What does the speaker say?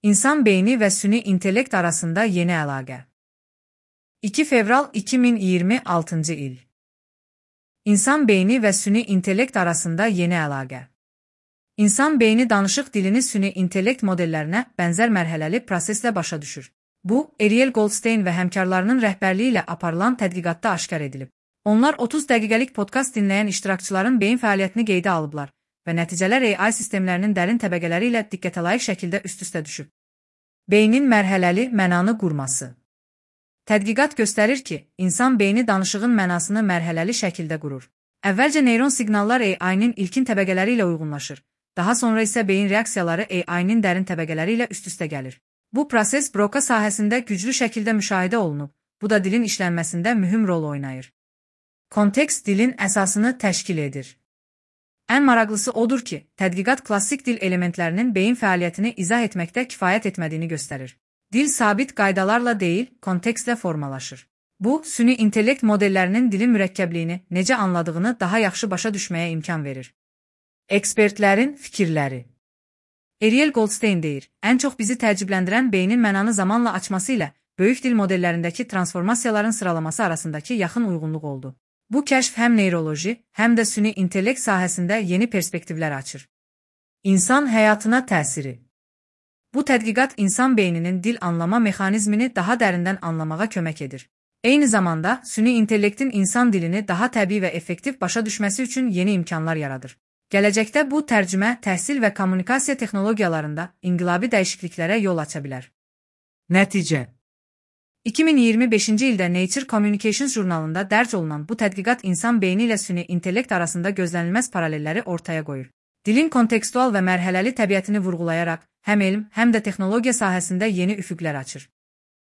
İnsan beyni və süni intellekt arasında yeni əlaqə. 2 fevral 2026 il. İnsan beyni və süni intellekt arasında yeni əlaqə. İnsan beyni danışıq dilini süni intellekt modellərinə bənzər mərhələli proseslə başa düşür. Bu, Ariel Goldstein və həmkarlarının rəhbərliyi ilə aparılan tədqiqatda aşkar edilib. Onlar 30 dəqiqəlik podkast dinləyən iştirakçıların beyin fəaliyyətini qeydə alıblar və nəticələr AI sistemlərinin dərin təbəqələri ilə diqqətə layiq şəkildə üst-üstə düşüb. Beynin mərhələli mənanı qurması. Tədqiqat göstərir ki, insan beyni danışığın mənasını mərhələli şəkildə qurur. Əvvəlcə neyron siqnallar AI-nin ilkin təbəqələri ilə uyğunlaşır. Daha sonra isə beyin reaksiyaları AI-nin dərin təbəqələri ilə üst-üstə gəlir. Bu proses Broca sahəsində güclü şəkildə müşahidə olunub. Bu da dilin işlənməsində mühüm rol oynayır. Kontekst dilin əsasını təşkil edir. Ən maraqlısı odur ki, tədqiqat klassik dil elementlərinin beyin fəaliyyətini izah etməkdə kifayət etmədiyini göstərir. Dil sabit qaydalarla deyil, kontekstlə formalaşır. Bu, süni intellekt modellərinin dilin mürəkkəbliyini, necə anladığını daha yaxşı başa düşməyə imkan verir. Ekspertlərin fikirləri. Ariel Goldstein deyir, ən çox bizi təəccübləndirən beynin mənanı zamanla açması ilə böyük dil modellərindəki transformasiyaların sıralaması arasındakı yaxın uyğunluq oldu. Bu kəşf həm neyroloji, həm də süni intellekt sahəsində yeni perspektivlər açır. İnsan həyatına təsiri. Bu tədqiqat insan beyninin dil anlama mexanizmini daha dərindən anlamağa kömək edir. Eyni zamanda, süni intellektin insan dilini daha təbii və effektiv başa düşməsi üçün yeni imkanlar yaradır. Gələcəkdə bu tərcümə, təhsil və kommunikasiya texnologiyalarında inqilabi dəyişikliklərə yol aça bilər. Nəticə. 2025-ci ildə Nature Communications jurnalında dərc olunan bu tədqiqat insan beyni ilə süni intellekt arasında gözlənilməz paralelləri ortaya qoyur. Dilin kontekstual və mərhələli təbiətini vurğulayaraq həm elm, həm də texnologiya sahəsində yeni üfüqlər açır.